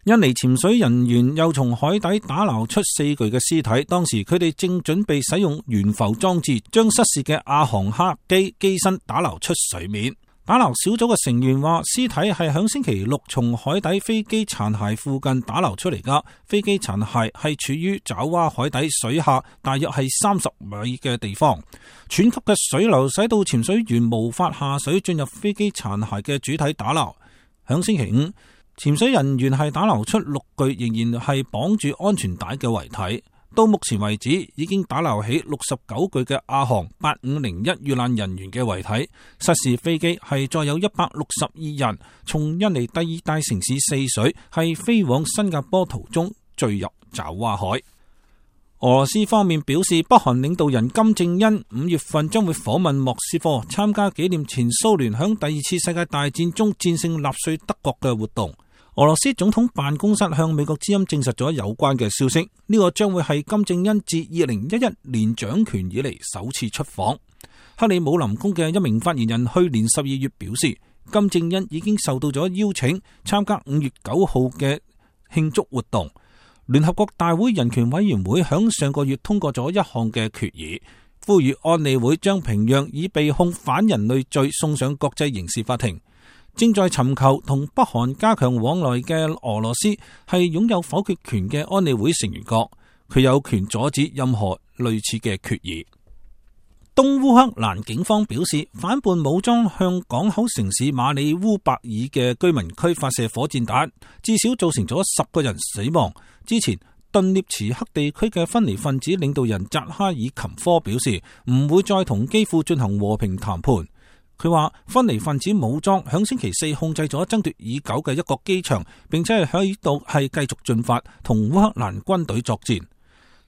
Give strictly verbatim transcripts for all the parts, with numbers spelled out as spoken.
印尼潛水人員又從海底打撈出四具嘅屍體，當時佢哋正準備使用懸浮裝置將失事嘅亞航客機機身打撈出水面。打撈小組嘅成員話，屍體係響星期六從海底飛機殘骸附近打撈出嚟噶，飛機殘骸係處於爪哇海底水下大約係三十米嘅地方，湍急嘅水流使到潛水員無法下水進入飛機殘骸嘅主體打撈。響星期五，潛水人員係打撈出六具仍然係綁住安全帶嘅遺體。到目前為止，已經打撈起六十九具嘅亞航八五零一遇難人員嘅遺體。失事飛機係載有一百六十二人，從印尼第二大城市泗水係飛往新加坡途中墜入爪哇海。俄羅斯方面表示，北韓領導人金正恩五月份將會訪問莫斯科，參加紀念前蘇聯響第二次世界大戰中戰勝納粹德國嘅活動。俄羅斯總統辦公室向美國之音證實咗有關嘅消息，呢個將會係金正恩自二零一一年掌權以嚟首次出訪。克里姆林宮嘅一名發言人去年十二月表示，金正恩已經受到咗邀請參加五月九號嘅慶祝活動。聯合國大會人權委員會響上個月通過咗一項嘅決議，呼籲安理會將平壤以被控反人類罪送上國際刑事法庭。正在尋求同北韓加強往來嘅俄羅斯係擁有否決權嘅安理會成員國，佢有權阻止任何類似嘅決議。東烏克蘭警方表示，反叛武裝向港口城市馬里烏伯爾嘅居民區發射火箭彈，至少造成咗十個人死亡。之前頓涅茨克地區嘅分離分子領導人扎哈爾琴科表示，唔會再同基輔進行和平談判。佢話分離分子武裝響星期四控制咗爭奪已久嘅一個機場，並且係喺度係繼續進發同烏克蘭軍隊作戰。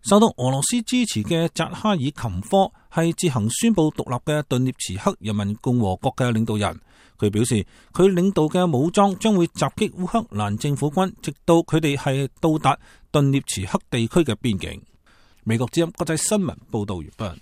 受到俄羅斯支持嘅扎哈爾琴科係自行宣布獨立嘅頓涅茨克人民共和國嘅領導人。佢表示，佢領導嘅武裝將會襲擊烏克蘭政府軍，直到佢哋係到達頓涅茨克地區嘅邊境。美國之音國際新聞報道完畢。